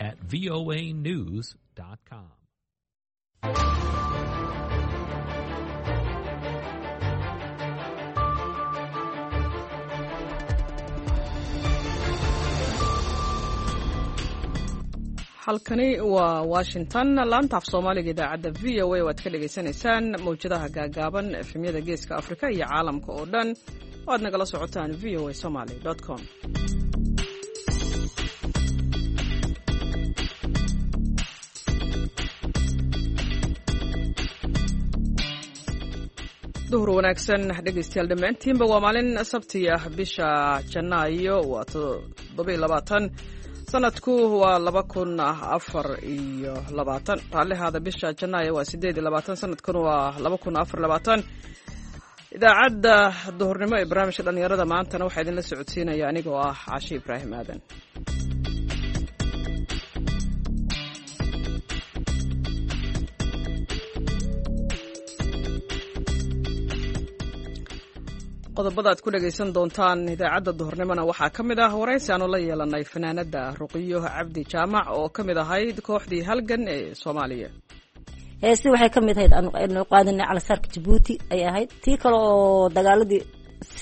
at voanews.com. Halkani waa Washington, laanta af Soomaaliga idaacadda VOA waad ka dhagaysanaysaan mawjadaha gaagaaban, efemyada Geeska Afrika iyo caalamka oo dhan oo aad nagala socotaan VOA Somaly com. Duhur wanaagsan dhegaystayaal dhammaantiinba. Waa maalin sabti ah, bisha Janaayo waa 27, sanadku waa 2024. Raallihaada, bisha Janaayo waa 28, sanadkuna waa 2024. Idaacadda duhurnimo ee barnaamijka dhallinyarada maantana waxaa idinla socodsiinaya anigoo ah Cashe Ibraahim Aadan. Qodobada aad ku dhegaysan doontaan idaacadda duhurnimona waxaa ka mid ah waraysi aanu la yeelanay fanaanada Ruqiyo Cabdi Jaamac oo ka mid ahayd kooxdii Halgan ee Soomaaliya. Heesi waxay ka mid ahayd aanu qaadanay calasaarka Jabuuti ay ahayd, tii kale oo dagaaladii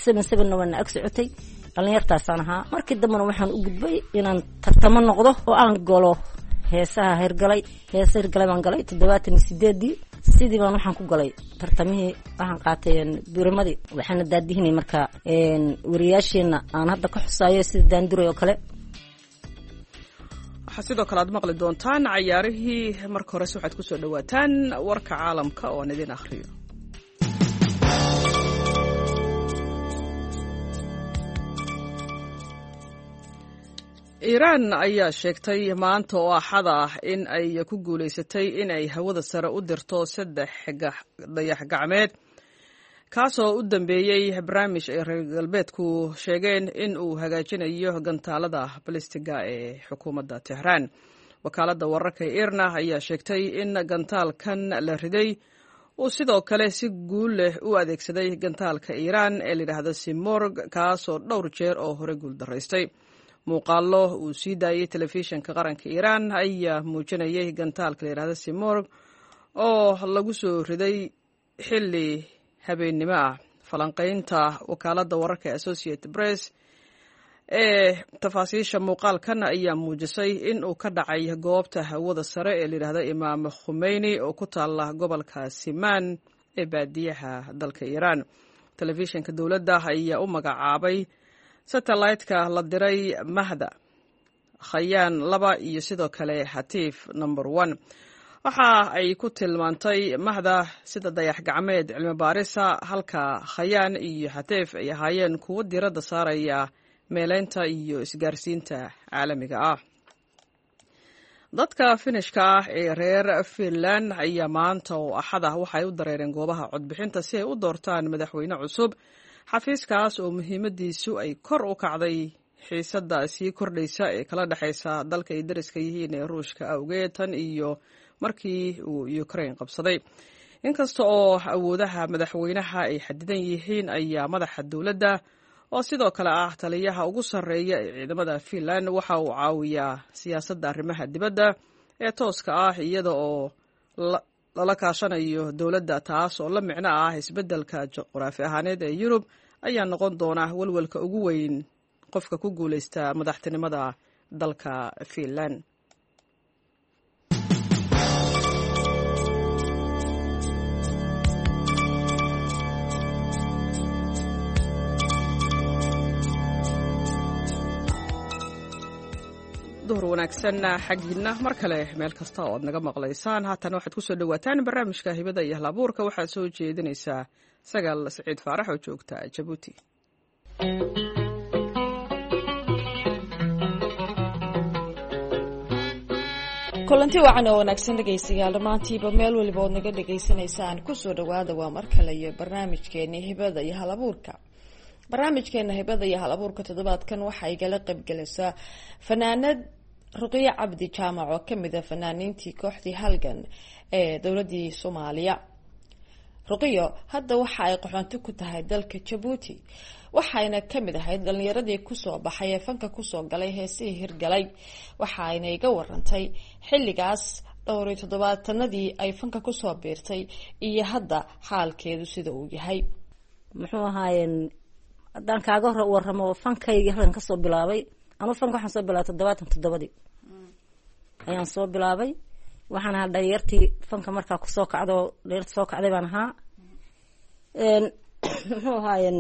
7-7-na waana ag socotay. Dhallinyartaasaan ahaa. Markii dambena waxaan u gudbay inaan tartamo noqdo oo aan galo heesaha hirgalay. Heesa hirgalay baan galay 78-dii. Sidii baan waxaan ku galay tartamihii, waxaan qaatay birimadii, waxaana daadihinay markaa wariyaasheena aan hadda ka xusaayo sida Daanduray oo kale. Waxaa sidoo kale aad maqli doontaan cayaarihii. Marka horese waxaad kusoo dhawaataan warka caalamka oo aan idin akhriyo. Iiraan ayaa sheegtay maanta oo Axada ah in ay ku guulaysatay in ay hawada sare u dirto saddex dayax gacmeed, kaasoo u dambeeyey barnaamij ay reer galbeedku sheegeen in uu hagaajinayo gantaalada balistiga ee xukuumadda Tehraan. Wakaaladda wararka ee Irna ayaa sheegtay in gantaalkan la riday uu sidoo kale si guul leh u adeegsaday gantaalka Iiraan ee layidhaahdo Simorg, kaasoo dhowr jeer oo hore guuldaraystay. Muuqaallo uu sii daayey telefishinka qaranka Iiraan ayaa muujinayay gantaalka layidhahdo Simorg oo lagu soo riday xilli habeennimo ah. Falanqaynta wakaaladda wararka ee Associated Press ee tafaasiisha muuqaalkan ayaa muujisay in uu ka dhacay goobta hawada sare ee layidhahdo Imaam Khumeyni oo ku taala gobolka Simaan ee baadiyaha dalka Iiraan. Telefishinka dowladda ayaa u magacaabay satellaytka la diray Mahda, Khayaan 2 iyo sidoo kale Xatiif number 1. Waxa ay ku tilmaantay Mahda sida dayax gacmeed cilmi baarisa, halka Khayaan iyo Xatiif ay ahaayeen kuwo diiradda saaraya meeleynta iyo isgaarsiinta caalamiga ah. Dadka Finishka ah ee reer Finland ayaa maanta oo Axad ah waxay u dareereen goobaha codbixinta si ay u doortaan madaxweyne cusub, xafiiskaas oo muhiimadiisu ay kor u kacday xiisadda sii kordhaysa ee kala dhexaysa dalka ay dariska yihiin ee Ruushka awgeed tan iyo markii uu Ukraine qabsaday. Inkasta oo awoodaha madaxweynaha ay xadidan yihiin, ayaa madaxa dowladda oo sidoo kale ah taliyaha ugu sarreeya ee ciidamada Finland waxa uu caawiyaa siyaasadda arrimaha dibadda ee tooska ah iyada oo lala kaashanayo dowladda, taas oo la micno ah isbeddelka juqraafi ahaaneed ee Yurub ayaa noqon doona welwelka ugu weyn qofka ku guulaysta madaxtinimada dalka Finland. Duhur wanaagsan xaggiinna mar kale meel kasta oo aad naga maqlaysaan. Haatan waxaad kusoo dhawaataan barnaamijka hibada iyo halabuurka. Waxaad soo jeedinaysaa Sagaal Siciid Faarax oo joogta Jabuuti. Kulanti wacan oo wanaagsan dhegaystayaal dhammaantiiba, meel waliba ood naga dhagaysanaysaan, kusoo dhawaada waa mar kale iyo barnaamijkeeni hibada iyo halabuurka. Barnaamijkeena hibada iyo hal abuurka toddobaadkan waxaa igala qaybgalaysaa fanaanad Ruqiyo Cabdi Jaamac oo kamid a fanaaniintii kooxdii Halgan ee dowladii Soomaaliya. Ruqiyo hadda waxa ay qaxoonti ku tahay dalka Jabuuti. Waxayna kamid ahayd dhalinyaradii kusoo baxay ee fanka kusoo galay heesihii hirgalay. Waxayna iga warantay xilligaas dhowr iyo toddobaatanadii ay fanka kusoo biirtay iyo hadda xaalkeedu sida uu yahay. Muxuu ahaayeen, haddaan kaaga hor waramo fankaygii halkan kasoo bilaabay, ama fanka waxaan soo bilaabay 77-dii ayaan soo bilaabay. Waxaan ahaa dhalinyartii fanka markaa kusoo kacdo, dhalinyarta soo kacday baan ahaa. Muxuu ahaayeen,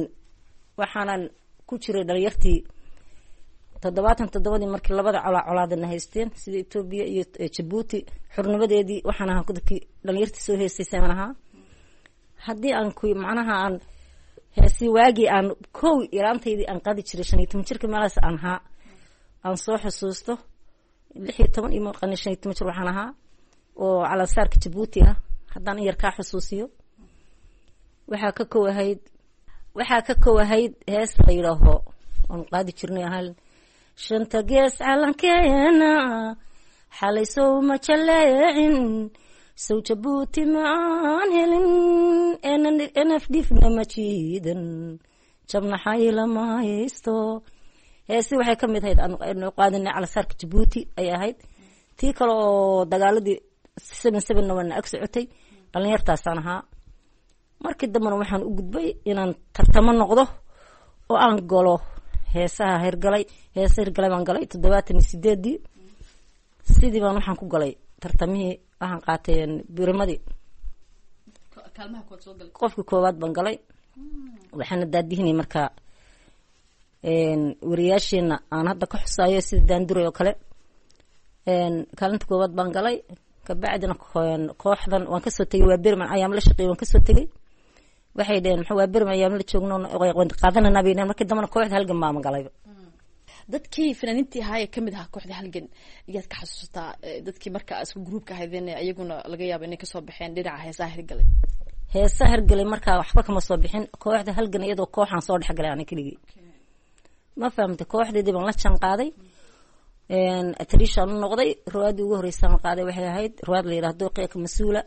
waxaanan ku jiray dhalinyartii 77-dii markii labada colaa colaadana haysteen, sida Etoobiya iyo Jabuuti xurnimadeedii. Waxaan ahaa dadkii dhalinyartii soo heestaysay baan ahaa. Haddii aan ku macnaha aan heesi waagii aan kow yaraantaydii aan qaadi jiray, 15 jirka meelahaas aan ahaa, aan soo xusuusto 16 iyo maqani 15 jir waxaan ahaa oo calansaarka Jabuuti ah. Haddaan in yar kaa xusuusiyo, waxaa ka kow ahayd hees la yidhaaho oon qaadi jirnay ahaa: "Shanta gees calankeena xalay sow ma jaleecin, sow Jabuuti ma aan helin, NFDfna ma jiidan, jabnaxay lama haysto." Heesi waxay ka mid ahayd aanu qaadinay calansaarka Jabuuti ay ahayd. Tii kale oo dagaaladii 77-na waana ag socotay, dhalinyartaasaan ahaa. Markii dambena waxaan u gudbay inaan tartamo noqdo oo aan galo heesaha hirgalay. Heesa hirgalay baan galay 78-dii. Sidii baan waxaan ku galay tartamihii, waxaan qaatay birimadii, qofkii koowaad baan galay. Waxaana daadihinay markaa wariyaasheena aan hadda ka xusaayo sida Daanduray oo kale. Kaalinta koowaad baan galay. Kabacdina kooxdan waan kasoo tegay. Waa Berman ayaam la shaqeeyay, waan kasoo tegay. Waxay dheheen, maxaa waa Berman ayaam la joogno qaadanana bay dheheen. Markii dambena kooxda Halgan baama galayba. Dadkii fanaaniintii ahaa ee kamid ahaa kooxda Halgan iyaad ka xasuusataa, dadkii marka isku gruupka ahaydeen, iyaguna laga yaabo inay kasoo baxeen dhinaca heesaha hirgalay? Heesaha hirgalay markaa waxba kama soo bixin. Kooxda Halgan iyadoo kooxaan soo dhexgalay ana keligii, ma fahamtay? Kooxdeedii baan la jaan qaaday, atrishaan u noqday. Riwaayadii ugu horreysaan qaaday waxay ahayd riwaayad la yidhahdo Dooqiya Mas-uula.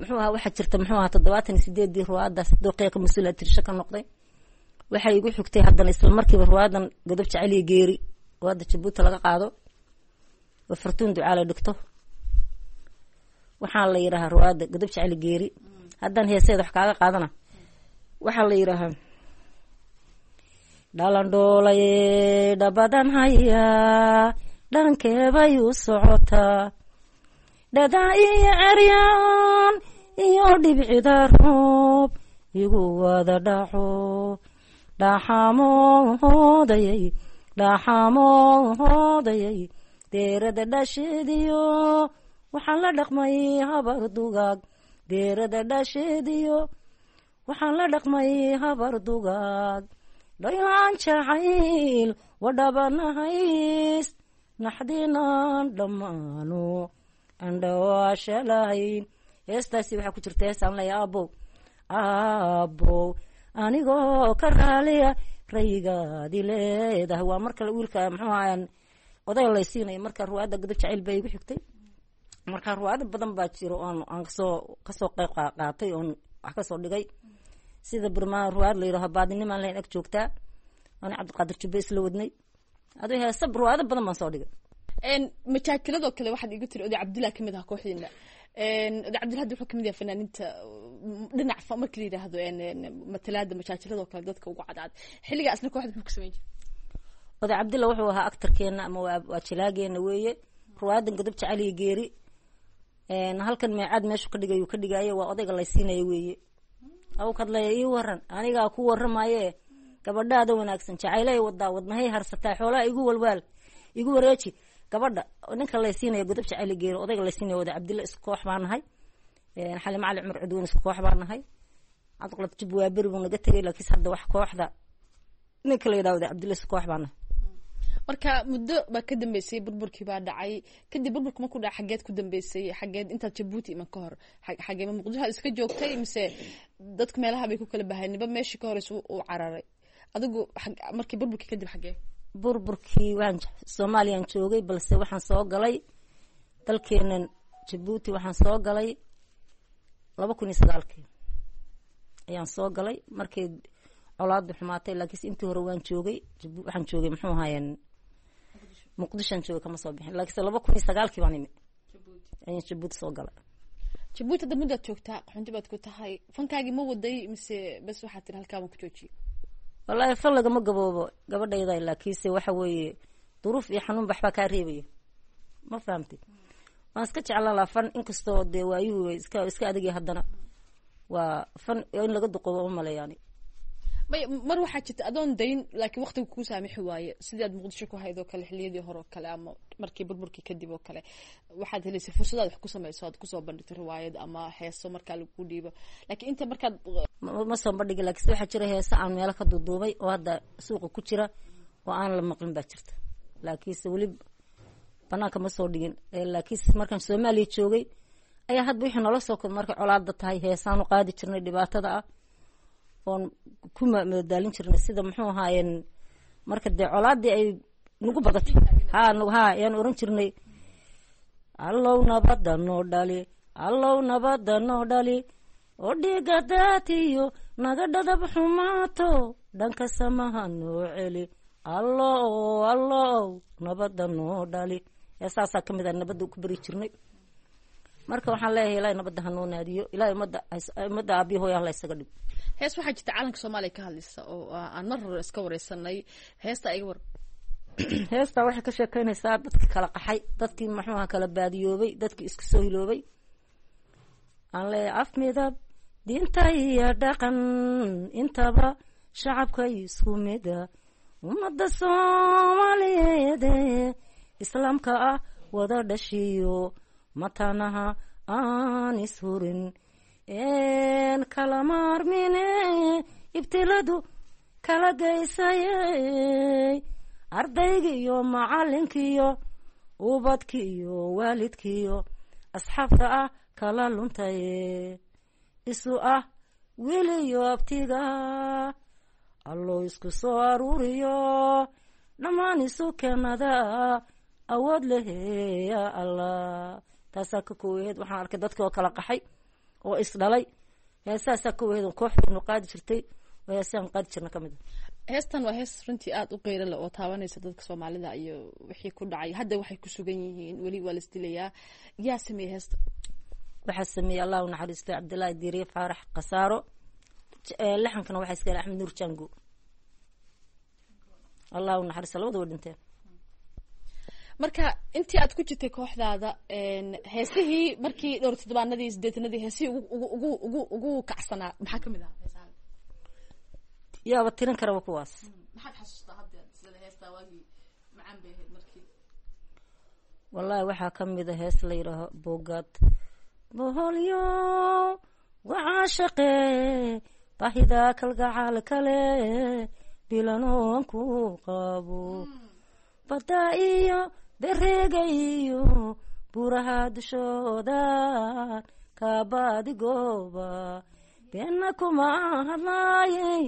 Muxuu ahaa, waxaa jirta, muxuu ahaa, 78-dii riwaayadaas Dooqiya ka Mas-uula atrisha ka noqday. Waxay igu xigtay haddana isla markiiba riwaayadan Godob Jaceliya Geeri, riwaayadda Jabuuti laga qaado oo Fartuun Ducaale dhigto. Waxaa la yidhahaa riwaayadda Godob Jaceli Geeri. Haddaan heeseeda wax kaaga qaadana, waxaa la yidhaahaa: "Dhalandhoolay dhabadan hayaa, dhankeebay u socotaa, dhadaa iyo ceryaan iyo dhibcida roob igu wada dhaco, dhaxamoodayay, dhaxamoodayay, deerada dhasheediyo waxaan la dhaqmay habar dugaag, deerada dhasheediyo waxaan la dhaqmay habar dugaag, dhaylaan jacayl wadhabanahays, naxdinaan dhammaano andhawaasha lahayn." Heestaasi waxaa ku jirta heesaan leeya: "Aabow, aabow, anigoo ka raaliya rayigaadi leedahay." Waa marka wiilka, muxuu ahayan, odayga laysiinayo. Marka ruwaayadda Godob Jacayl baa igu xigtay. Marka ruwaayado badan baa jiro oon aan kasoo qayb qaatay oon wax kasoo dhigay, sida birmaa ruwaayad la yidhaho Baadinimaan Lahayn Ag Joogtaa, ana Cabdiqaadir Jubbe isla wadnay. Adu heesa ruwaayado badan baan soo dhigay. Majaakiladoo kale waxaad igu tiri Oday Cabdillah kamid ahaa kooxdiina. Oday Cabdillah hadda wuxuu kamid yahay fanaaniinta dhinac marka la yidhaahdo matalaada majaakiladoo kale dadka ugu cadcad. Xilligaasna kooxda muxuu ka samayn jiray? Oday Cabdillah wuxuu ahaa actarkeena ama waa jilaageena weeye. Ruwaayadan Godob Jaceliya Geeri halkan meecaad meeshu ka dhigay ka dhigaayo, waa odayga laysiinaya weeye. Aw kadlaya ii waran, anigaa ku waramaye, gabadhaada wanaagsan jacaylay wadaa, wadnahay harsataa, xoolaha igu walwaal, igu wareeji gabadha. Ninka laysiinaya Godob Jaceli Geeri, odayga laysiinaya Oday Cabdilla, isku koox baa nahay. Xali Macali Cumar Cudweyne isku koox baa nahay. Cabdiqalad Jub waa beri buu naga tegay, laakiinse hadda wax kooxda ninka la yidhahdo Oday Cabdilla isku koox baa nahay. Marka muddo baa ka dambeysay, burburkii baa dhacay. Kadib burburka markuu dhacay, xageed ku dambeysay? Xageed intaad Jabuuti iman ka hor, xagee, ma Muqdisho aad iska joogtay mise dadku meelaha bay ku kala bahay, niba meeshii ka horeysa uu cararay? Adigu markii burburkii kadib xagee? Burburkii waan Soomaaliyaan joogay, balse waxaan soo galay dalkeenan Jabuuti. Waxaan soo galay 2009-kii ayaan soo galay, markii Colaadu xumaatay, laakiinse intii hore waan joogay. Waxaan joogay, muxuu ahaayeen, Muqdishoan joogay, kama soo bixin. Laakiinse 2009-kii baan imi, ayaan Jabuuti soo galay. Jabuuti hadda muddaad joogtaa, qaxoonti baad ku tahay. Fankaagii ma waday mise bas waxaad tiri halkaa baan ku joojiyey? Wallaahi fan lagama gaboobo, gabadhayda, laakiinse waxa weeye duruuf iyo xanuun baxbaa kaa reebaya, ma fahamtay? Waan iska jeclaan lahaa fan, inkastoo dee waayuhu iska adagya, haddana waa fan in laga duqoobo uma maleeyaani. May, mar waxaa jirta adoon dayn laakiin waqtiga kuu saamixi waaye, sidii aad Muqdisho ku hayd oo kale xiliyadii hore oo kale ama markii burburkii kadib oo kale, waxaad helaysay fursadaad wax ku samayso, aad kusoo bandhigto riwaayad ama heeso markaa lagu dhiibo, laakiin inta markaad Ma soo bandhigin, laakiinse waxaa jira heese aan meelo ka duuduubay oo hadda suuqa ku jira oo aan la maqlin baa jirta, laakiinse weli banaanka ma soo dhigin. Laakiinse markaan Soomaaliya joogay ayaa hadba wixii noola soo kor markay colaada tahay heesaanu qaadi jirnay dhibaatada ah oon ku madadaalin jirnay, sida muxuu ahaayeen, marka dee colaadii ay nagu badatay ha ayaan oran jirnay: "Allow nabada noo dhali, allow nabada noo dhali, oo dhiiga daatiyo naga dhadab xumaato, dhanka samaha noo celi, allow, allow nabada noo dhali." Heesaasaa kamid a nabadda ku beri jirnay. Marka waxaan leeyahay, Ilahay nabadda hanoo naadiyo, Ilahay ummadda aabiyo hooya hala isaga dhig. Hees waxaa jirta calanka Soomaaliya ka hadlaysa oo aan mar hore iska wareysanay. Heesta iga war. Heestaa waxay ka sheekeynaysaa dadki kala qaxay, dadkii muxuuha kala baadiyoobay, dadkii isku soo hiloobay. Aan leeyahay: af, midab, diinta iyo dhaqan intaba shacabka isku mida, ummadda Soomaaliyeed islaamka ah wada dhashiyo, matanaha aan ishurin kala maarmine, ibtiladu kala geysayey, ardayga iyo macalinkiyo, ubadki iyo waalidkiyo, asxaabta ah kala luntaye, isu ah wiiliyo abtiga, Allow isku soo aruuriyo, dhammaan isu keenada awood leheya Allah. Taasaa ka koowaheed. Waxaan arkay dadki oo kala qaxay oo isdhalay. Heesaasaa ka waheed kooxdeenu qaadi jirtay oo heesaan qaadi jirna kamid a. Heestan waa hees runtii aada u qeyra leh oo taabanaysa dadka Soomaalida iyo wixii ku dhacay, hadda waxay ku sugan yihiin, weli waa la isdilayaa. Yaa sameeyey heesta? Waxaa sameeyey, Allah u naxariistay, Cabdillaahi Diiriye Faarax Khasaaro. Laxankana waxaa iska Axmed Nuur Jango, Allah u naxariista, labada way dhinteen. Marka intii aad ku jirtay kooxdaada, heesihii markii dhowr toddobaanadii sideetanadii, heesihii ugu ugu ugu ugu kacsanaa maxaa kamid ahaa heesaha? Yaaba tirin karaba kuwaas. Maxaad xasuustaa hadda sida heestaa waagii macaan bay ahayd markii? Wallahi waxaa kamid a hees la yidhaaho "Bogad Boholyo", waxaa shaqee baahida kalgacaal kale bilanoon ku qabo, badda iyo bereega iyo buraha dushoodan kaabadigooba, beenna kuma hadlaayey,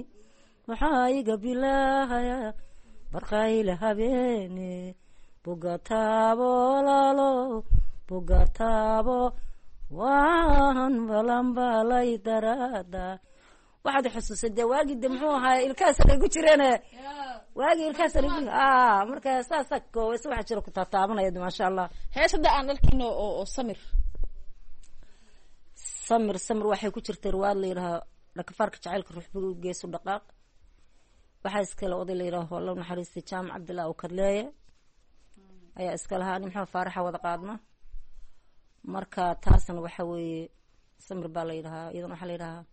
waxaa iga bilaahaya barqayle habeene, bugataabo lalo bugataabo waan balanbalay darada. Waxaad xusuusay dee waagii de muxuu ahaay ilkahaas ku jireene, waagii ilkahaas. Marka saasa koobaysa, waxaa jira ku taataabanaya, maasha Allah. Hees hadda aan arkino oo Samir. Samir, Samir waxay ku jirtay riwaayad la yidhaaho Dhakafaarka Jacaylka Ruuxbiga Geesu Dhaqaaq. Waxaa iskale oday la yidhaaho, alla naxariistay, Jaamac Cabdillah oo Kadleeye ayaa iska lahaa, ani Maxamed Faaraxa wada qaadna. Marka taasna waxa weeye Samir baa la yidhahaa iyadana. Waxaa la yidhahaa: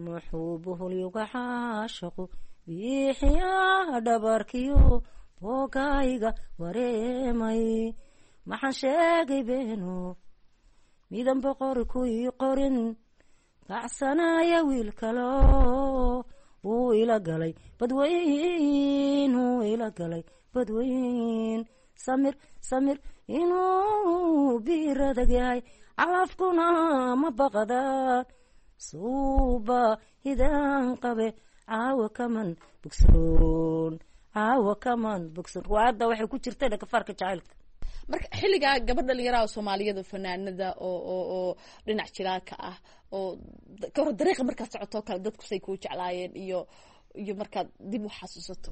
muxuu buhulyuga caashaqu biixiyaa dhabarkiyo boogayga wareemay, maxaan sheegay beeno midan boqor ku ii qorin, kacsanaya wiil kalo wuu ila galay badweyn, wuu ila galay badweyn. Samir, samir inuu biir adag yahay, calafkuna ma baqdaan, suuba hidaan qabe, caawa kaman bogsoon, caawa kaman bogsoon. Riwaayadda waxay ku jirtay Dhakafaarka Jacaylka. Marka xilligaa gabadh dhalinyaraha Soomaaliyada fanaanada oo dhinac jiraaka ah oo kahor dariiqa markaad socotoo kale dadku say kuu jeclaayeen iyo markaad dib u xasuusato?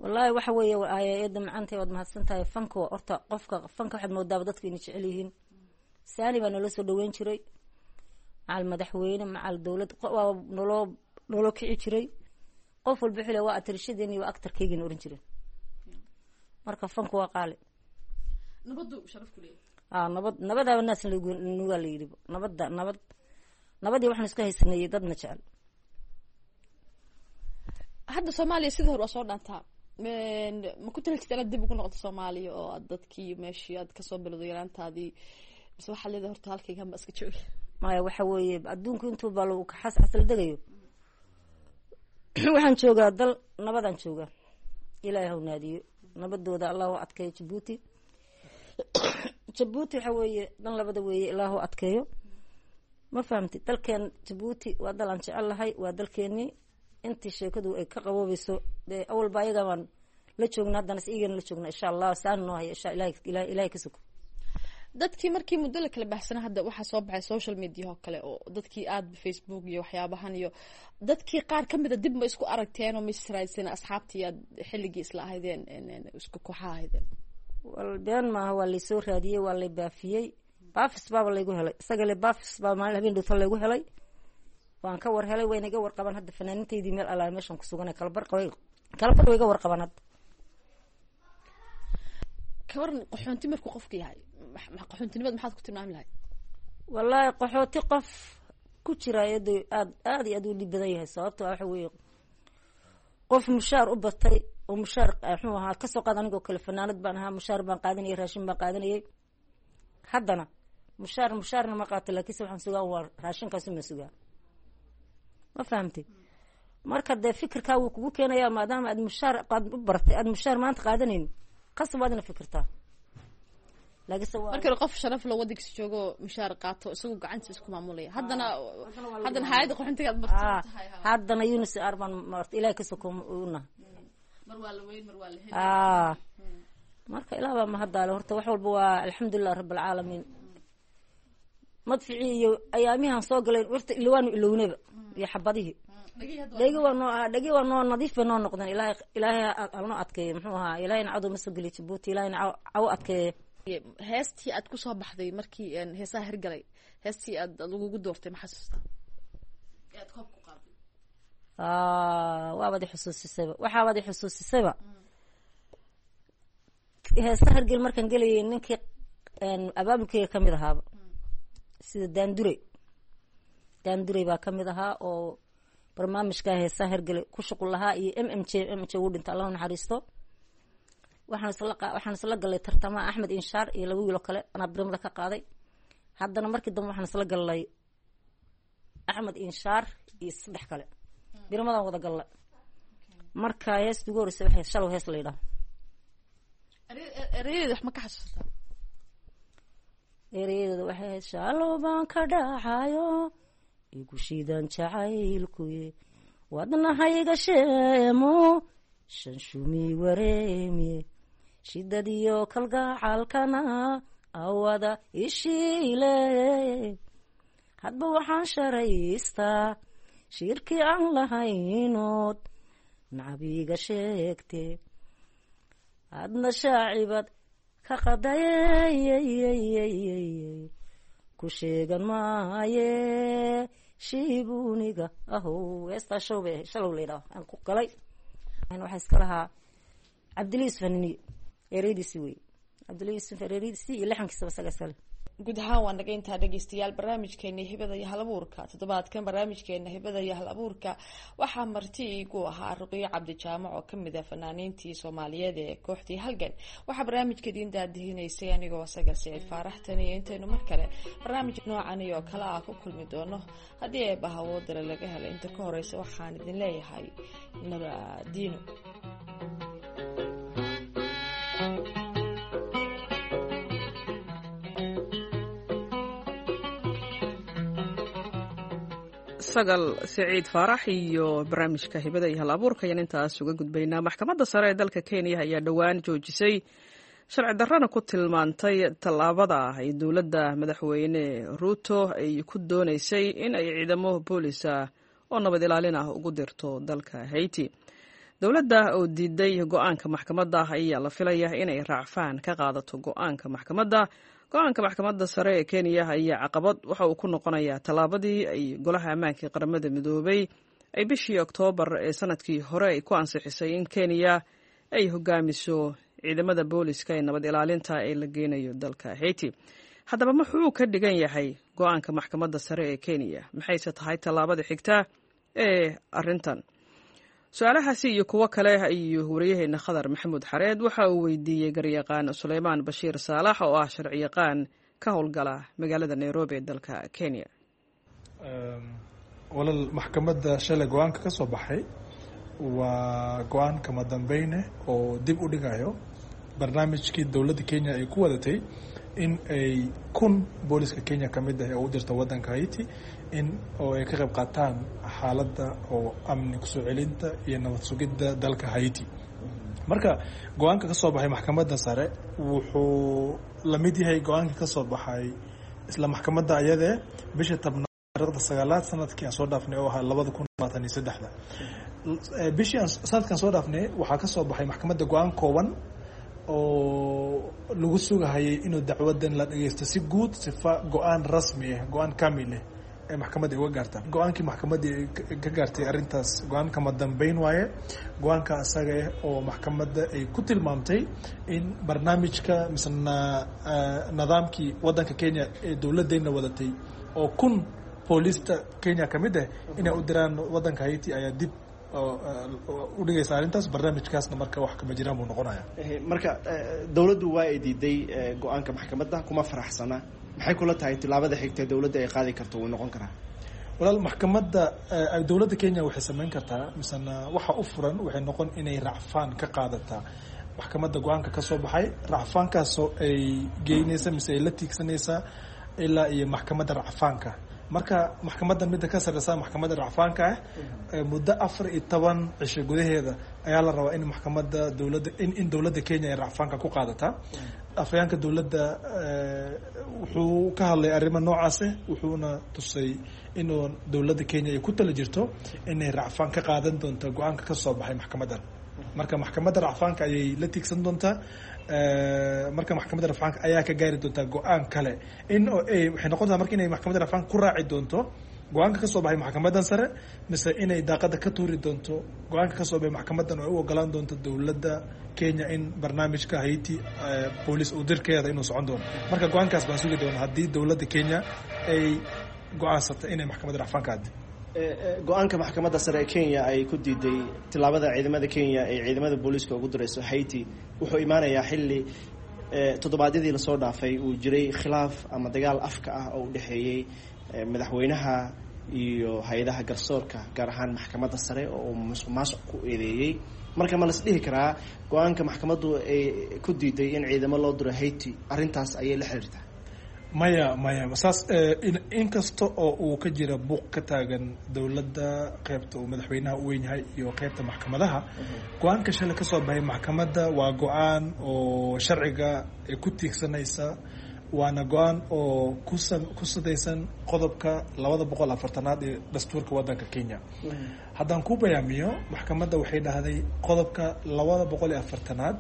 Wallaahi waxa weeye eedda macantay, waad mahadsan tahay. Fanka horta qofka fanka waxaad moodaaba dadku inay jecel yihiin. Saani baa naloo soo dhaweyn jiray, macal madaxweyne, macal dowlad, waa naloo kici jiray. Qof walba xile waa atarishadeen iyo waa actarkaygina oran jireen. Marka fanku waa qaali. Nabadu sharaf ku leeyahay. Nabad nabadaaba naas nugaa la yidhi. Nabadda nabadii waxaan isku haysanayay dadna jecel. Hadda Soomaaliya sidii hore waa soo dhaantaa. Ma ku tali jirta inaad dib ugu noqoto Soomaaliya oo aad dadkii meeshii aad kasoo bilowday yaraantaadii, mise waxaad leedahay horta halkaygan ba iska joogi? Maya, waxa weeye adduunku intuu baa lagu xas xasla degayo. Waxaan joogaa dal nabadaan joogaa. Ilaahay haw naadiyo nabadooda, Allah u adkeeyo Jabuuti. Jabuuti waxa weeye dan labada weeye, ilaah u adkeeyo. Ma fahamti? Dalkeen Jabuuti waa dal aan jecel lahay, waa dalkeenii. Intii sheekadu ay ka qaboobayso dee awalba ayaga baan la joogna, haddana is iyagana la joogna, insha Allah saan noo haya, insha Ilahay, Ilahay ka sugo. Dadkii markii muddo la kala baxsana, hadda waxaa soo baxay social media oo kale oo dadkii aada Facebook iyo waxyaabahan, iyo dadkii qaar kamida dib ma isku aragteen oo ma israadseen asxaabtii aad xilligii isla ahaydeen, isku kooxaha ahaydeen? Wal been maaha, waa laysoo raadiyey, waa lay baafiyey, baafis baaba laygu helay. Isaga le baafis baa maalin habeen dhowta laygu helay. Waan ka war helay, wayna iga warqabaan hadda fanaaniintaydii meel allaa meeshan kusuganay. Kalabar kalabar way iga warqabaan hadda. Kawaran qaxoonti markuu qofka yahay, qaxoontinimada maxaad ku tilmaami lahayd? Wallaahi qaxooti qof ku jira iyado aad aad iyo aad u dhib badan yahay, sababto waxa weeye qof mushaar u batay oo mushaar muxuu ahaa kasoo qaad. Anigoo kale fanaanad baan ahaa, mushaar baan qaadanayay, raashin baan qaadanayay. Haddana mushaarna ma qaato, laakiinse waxaan sugaa waa raashinkaasi ma sugaa. Ma fahamtay? Marka dee fikirkaa wuu kugu keenayaa, maadaama aad mushaar aad u baratay, aad mushaar maanta qaadanayn, qasab waad ina fikirtaa. Laakiinse marka hore qof sharaf la wadankiisa joogo mushaar qaato, isagoo gacantiisa isku maamulaya, haddana hay'adda qaxoontiga aad marti tahay. Haddana UNHCR baan marta, Ilahay ka soko una. Mar waa la weyn, mar waa la heli. Marka ilaah baa mahaddaale horta, wax walba waa alxamdulilah rabbilcaalamiin. Madficii iyo ayaamihan soo galay horta waanu ilownaba, iyo xabadihii dhegi waa noo, dhegi waa noo nadiif bay noo noqdeen. Ilahay, Ilaahay hanoo adkeeyo, muxuu ahaa, Ilahayna cadow ma soo geliyo Jabuuti, Ilahayna cawo adkeeyo. Heestii aad kusoo baxday markii heesaha hirgalay, heestii aad lagugu doortay, ma xasuustaa aad koob ku qaaday? Waabaad ixusuusisayba, waxaabaad ixusuusisayba heesa hirgel markaan gelayay, ninkii abaabulkeyga kamid ahaaba sida Daandurey. Daandurey baa kamid ahaa oo barnaamijka heesaha hirgele ku shuqul lahaa, iyo MMJ. MMJ wuu dhinta, Allahu naxariisto. Waxaan isla galay tartamaha Axmed Inshaar iyo laba wiiloo kale, anaa birimada ka qaaday. Haddana markii dambe waxaan isla galnay Axmed Inshaar iyo saddex kale, birimadaan wada galnay. Marka heesta ugu horreysay waxay Shalow hees la yidhaha. Erayadeeda wax ma ka xasuustaa? Erayadeeda waxay ahayd: shalow baan ka dhacayo igu shiidan jacaylkuye, wadnahayga sheemo shanshumi wareemiye, shidadiyo kalgacalkana awada ishiile, hadba waxaan sharaystaa shirkii aan lahaynood nacabiga sheegte, adna shaacibad ka qadayeyeyeyey, ku sheegan maaye shiibuniga ahow. Heestaa show bay Shalow la yidhaho aan ku galay. Waxaa iska lahaa Cabdilla Yusuf Haniniye, ereydiisi wey Cabdilla Yusuf, ereydiisi iyo lixankiisaba isaga iskale. Guud ahaan waa naga intaa dhegeystayaal barnaamijkeena hibada iyo hal abuurka toddobaadkan. Barnaamijkeena hibada iyo hal abuurka waxaa marti igu ahaa Ruqiyo Cabdijaamac oo kamid ah fanaaniintii Soomaaliyeed ee kooxdii Halgan. Waxaa barnaamijka idiin daadihinaysay anigoo Sagal Siciid Faaraxtan, iyo intaynu mar kale barnaamij noocan iyo kale ah ku kulmi doono haddii eebba hawoodale laga helay, inta ka horeysa waxaan idin leeyahay nabadiino. Sagal Siciid Faarax iyo barnaamijka hibada iyo hal abuurka ayaan intaas uga gudbaynaa. Maxkamadda sare ee dalka Kenya ayaa dhowaan joojisay Sharci darrana ku tilmaantay tallaabada ay dowladda Madaxweyne Ruuto ay ku doonaysay in ay ciidamo boolisa oo nabad ilaalin ah ugu dirto dalka Haiti. Dowladda oo diiday go-aanka maxkamadda ayaa la filaya inay raacfaan ka qaadato go-aanka maxkamadda. Go-aanka Maxkamadda Sare ee Kenya ayaa caqabad waxa uu ku noqonayaa tallaabadii ay Golaha Ammaanka ee Qaramada Midoobay ay bishii Oktoobar ee sanadkii hore ay ku ansixisay in Kenya ay hogaamiso ciidamada booliska ee nabad ilaalinta ee la geynayo dalka Haiti. Haddaba, muxuu ka dhigan yahay go-aanka Maxkamadda Sare ee Kenya? Maxayse tahay tallaabada xigta ee arrintan? Su-aalahaasi iyo kuwo kale ayuu wariyaheena Khadar Maxamuud Xareed waxa uu weydiiyey garyaqaan Suleymaan Bashiir Saalax, oo ah sharciyaqaan ka howlgala magaalada Nairobi ee dalka Kenya. Walaal, maxkamadda shalay go-aanka ka soo baxay waa go-aan kama dambeyne oo dib u dhigayo barnaamijkii dowladda Kenya ay ku wadatay in ay 1000 booliska Kenya ka mid ah oo u dirta waddanka Haiti in oo ay ka qayb qaataan xaaladda oo amni kusoo celinta iyo nabad sugidda dalka Haiti. Marka go-aanka ka soo baxay Maxkamadda Sare wuxuu la mid yahay go-aanka ka soo baxay isla maxkamadda ayadee bisha 10aad taariikhda 9aad sanadkii aan soo dhaafnay oo ahaa 2023-da. Bishii sanadkan soo dhaafnay waxaa ka soo baxay maxkamadda go-aan kooban oo lagu sugahayay inuu dacwadan la dhageysto si guud, sifa go-aan rasmi ah, go-aan kamil ah ee maxkamadda ay uga gaarta. Go-aankii maxkamadda ka gaartay arrintaas go-aan kama dambeyn waaye, go-aanka asaga ah oo maxkamadda ay ku tilmaamtay in barnaamijka misena nidaamkii waddanka Kenya ee dowladdeena wadatay oo 1000 boolista Kenya ka mid ah inay u diraan waddanka Haiti ayaa dib u dhigaysa arrintaas. Barnaamijkaasna marka wax kama jiraan buu noqonaya. Marka dowladdu waa ay diiday go-aanka maxkamadda, kuma faraxsana. Maxay kula tahay tilaabada xigta dowladda ay qaadi karto wuu noqon karaa? Walaal, maxkamadda, dowladda Kenya waxay samayn kartaa misena waxa u furan waxay noqon inay racfaan ka qaadataa maxkamadda go-aanka ka soo baxay, racfaankaasoo ay geynaysa mise ay la tiigsanaysaa ilaa iyo maxkamadda racfaanka. Marka maxkamadda midda ka sarreysa maxkamadda racfaanka ah, muddo 14 cisho gudaheeda ayaa la rabaa in maxkamadda dowladda in dowladda Kenya ay racfaanka ku qaadataa. Afhayaanka dowladda wuxuu ka hadlay arrimo noocaase, wuxuuna tusay inuu dowladda Kenya ay ku tala jirto inay racfaan ka qaadan doonto go-aanka ka soo baxay maxkamaddan. Marka maxkamadda racfaanka ayay la tiigsan doontaa. Marka maxkamadda racfaanka ayaa ka gaari doontaa go-aan kale in waxay noqon doontaa marka inay maxkamadda racfaanka ku raaci doonto go-aanka kasoo baxay maxkamaddan sare, mise inay daaqada ka tuuri doonto go-aanka kasoo baxay maxkamaddan oo ay u ogolaan doonto dowladda Kenya in barnaamijka Haiti booliis uu dirkeeda inuu socon doono. Marka go-aankaas baan sugi doona haddii dowladda Kenya ay go-aansatay inay maxkamadda racfaanka aadi. Go-aanka Maxkamadda Sare ee Kenya ay ku diiday tillaabada ciidamada Kenya ay ciidamada booliiska ugu dirayso Haiti wuxuu imaanayaa xilli toddobaadyadii lasoo dhaafay uu jiray khilaaf ama dagaal afka ah oo u dhexeeyey madaxweynaha iyo hay-adaha garsoorka, gaar ahaan Maxkamadda Sare oo uu musuq maasuq ku eedeeyey. Marka ma las dhihi karaa go-aanka maxkamaddu ay ku diiday in ciidamo loo diro Haiti arrintaas ayay la xiriirtaa? Maya, maya, saas inkasta oo uu ka jira buuq ka taagan dowladda qeybta uu madaxweynaha u weyn yahay iyo qeybta maxkamadaha, go-aanka shalay ka soo baxay maxkamadda waa go-aan oo sharciga ay ku tiigsanaysa, waana go-aan oo ku sadaysan qodobka 240aad ee dastuurka waddanka Kenya. Haddaan ku bayaamiyo, maxkamadda waxay dhahday qodobka 240aad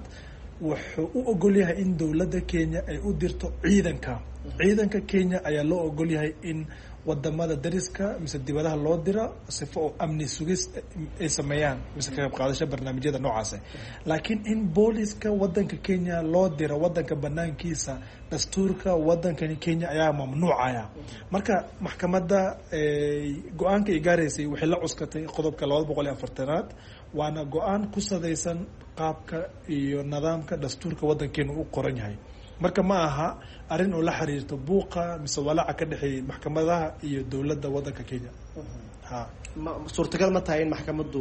wuxuu u ogol yahay in dowladda Kenya ay u dirto ciidanka. Ciidanka Kenya ayaa loo ogol yahay in wadamada dariska mise dibadaha loo diro sifo oo amni sugis ay sameeyaan mise ka qayb qaadasho barnaamijyada noocaas, laakiin in booliska wadanka Kenya loo diro wadanka banaankiisa dastuurka wadankani Kenya ayaa mamnuucaya. Marka maxkamadda go-aanka ay gaaraysay waxay la cuskatay qodobka 240aad, waana go-aan ku sadaysan qaabka iyo nidaamka dastuurka wadankeenu u qoran yahay. Marka ma aha arrin oo la xiriirto buuqa mise walaaca ka dhexeeyay maxkamadaha iyo dowladda wadanka Kenya. Ha, suurtagal ma tahay in maxkamaddu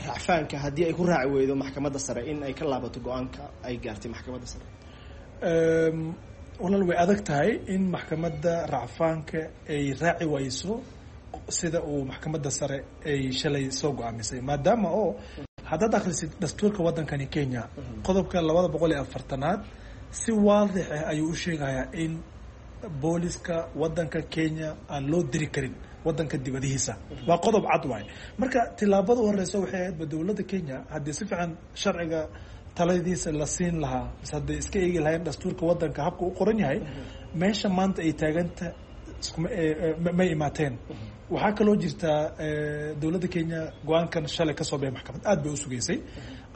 racfaanka haddii ay ku raaci weydo Maxkamadda Sare in ay ka laabato go-aanka ay gaartay Maxkamadda Sare? Walaal, way adag tahay in maxkamadda racfaanka ay raaci wayso sida uu Maxkamadda Sare ay shalay soo go-aamisay, maadaama oo haddaad akhrisid dastuurka waddankani Kenya qodobka 240aad Si waadix ah ayuu u sheegayaa in booliska wadanka Kenya aan loo diri karin wadanka dibadihiisa. Waa qodob cad waay. Marka tilaabada u horeysa waxay ahayd ba dowladda Kenya haddii si fiican sharciga taladiisa la siin lahaa, mise hadday iska eegi lahayn dastuurka wadanka habka u qoran yahay, meesha maanta ay taaganta iskuma may imaateen. Waxaa kaloo jirtaa dowladda Kenya go-aankan shalay kasoo baxay maxkamad aad bay u sugeysay.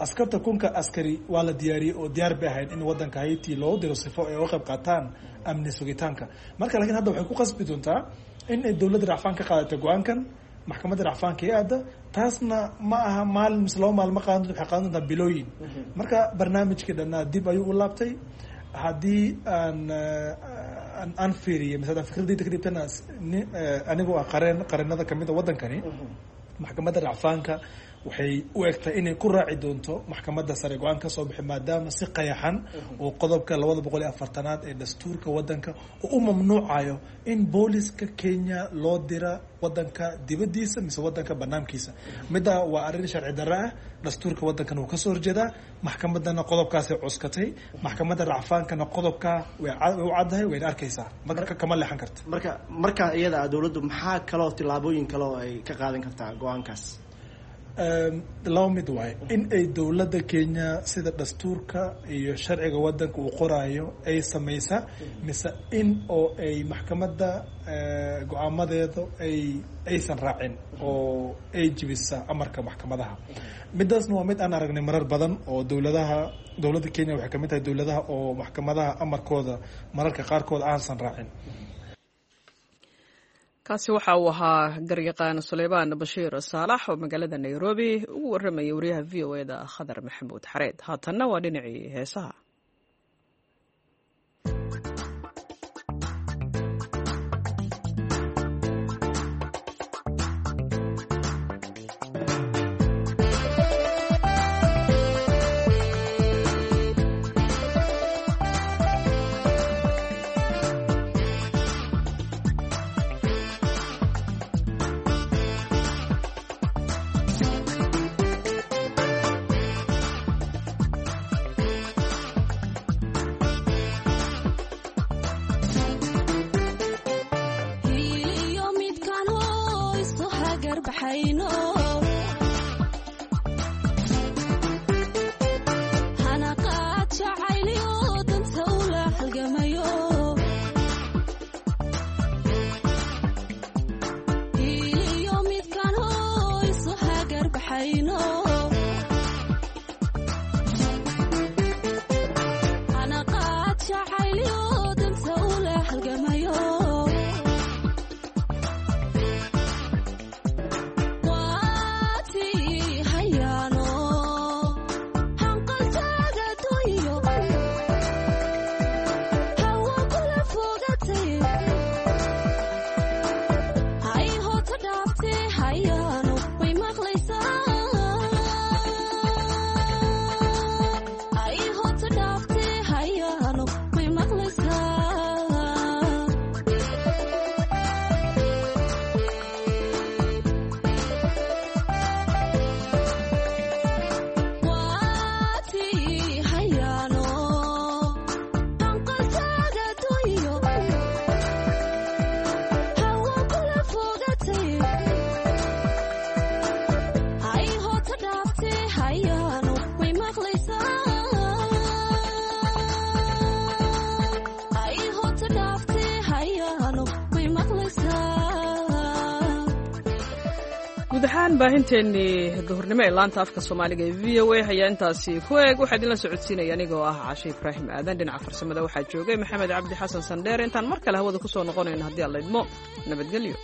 Askarta 1000-ka askari waa la diyaariyey oo diyaar bay ahayd in wadanka Haiti loo diro sifo ay uga qayb qaataan amni sugitaanka. Marka laakiin hadda waxay ku qasbi doontaa in ay dowladda racfaan ka qaadatay go-aankan, maxkamadda racfaanka ee aada. Taasna ma aha maalin mise 2 maalin ma qaadan doonto, waxay qaadan doontaa bilooyin. Marka barnaamijkii dhannaa dib ayuu u laabtay. Haddii aan fiiriyay mise haddaan fikradayda ka dhibtana, anigoo ah qareen qareenada kamid a waddankani, maxkamadda racfaanka waxay u egtahay inay ku raaci doonto maxkamadda sare go-aan ka soo bixi, maadaama si qayaxan oo qodobka 240-aad ee dastuurka wadanka oo u mamnuucayo in booliska Kenya loo dira wadanka dibadiisa mise wadanka banaankiisa. Middaa waa arrin sharci darre ah, dastuurka wadankana wuu kasoo horjeedaa. Maxkamaddana qodobkaasay cuskatay, maxkamadda racfaankana qodobkaa way u caddahay, wayna arkaysaa, marka kama leexan karta. Marka markaa iyada ah dowladdu maxaa kaloo tillaabooyin kale oo ay ka qaadan kartaa go-aankaas? Laba mid waaye: in ay dowladda Kenya sida dastuurka iyo sharciga wadanka uu qoraayo ay samaysa, mise in oo ay maxkamadda go-aamadeeda aysan raacin oo ay jibisa amarka maxkamadaha. Midaasna waa mid aan aragnay marar badan oo dowladaha, dowladda Kenya waxay kamid tahay dowladaha oo maxkamadaha amarkooda mararka qaarkood aansan raacin. Kaasi waxa uu ahaa garyaqaan Suleymaan Bashiir Saalax oo magaalada Nairobi ugu warramayay wariyaha VOA-da Khadar Maxamuud Xareed. Haatanna waa dhinacii heesaha. Guud ahaan baahinteennii duhurnimo ee laanta afka Soomaaliga ee VOA ayaa intaasi ku eeg. Waxaa idinla socodsiinaya anigoo ah Cashe Ibraahim Aadan. Dhinaca farsamada waxaa joogay Maxamed Cabdi Xasan Sandheer. Intaan mar kale hawada ku soo noqonayno haddii alla idmo, nabadgelyo.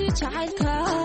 Jacaylka.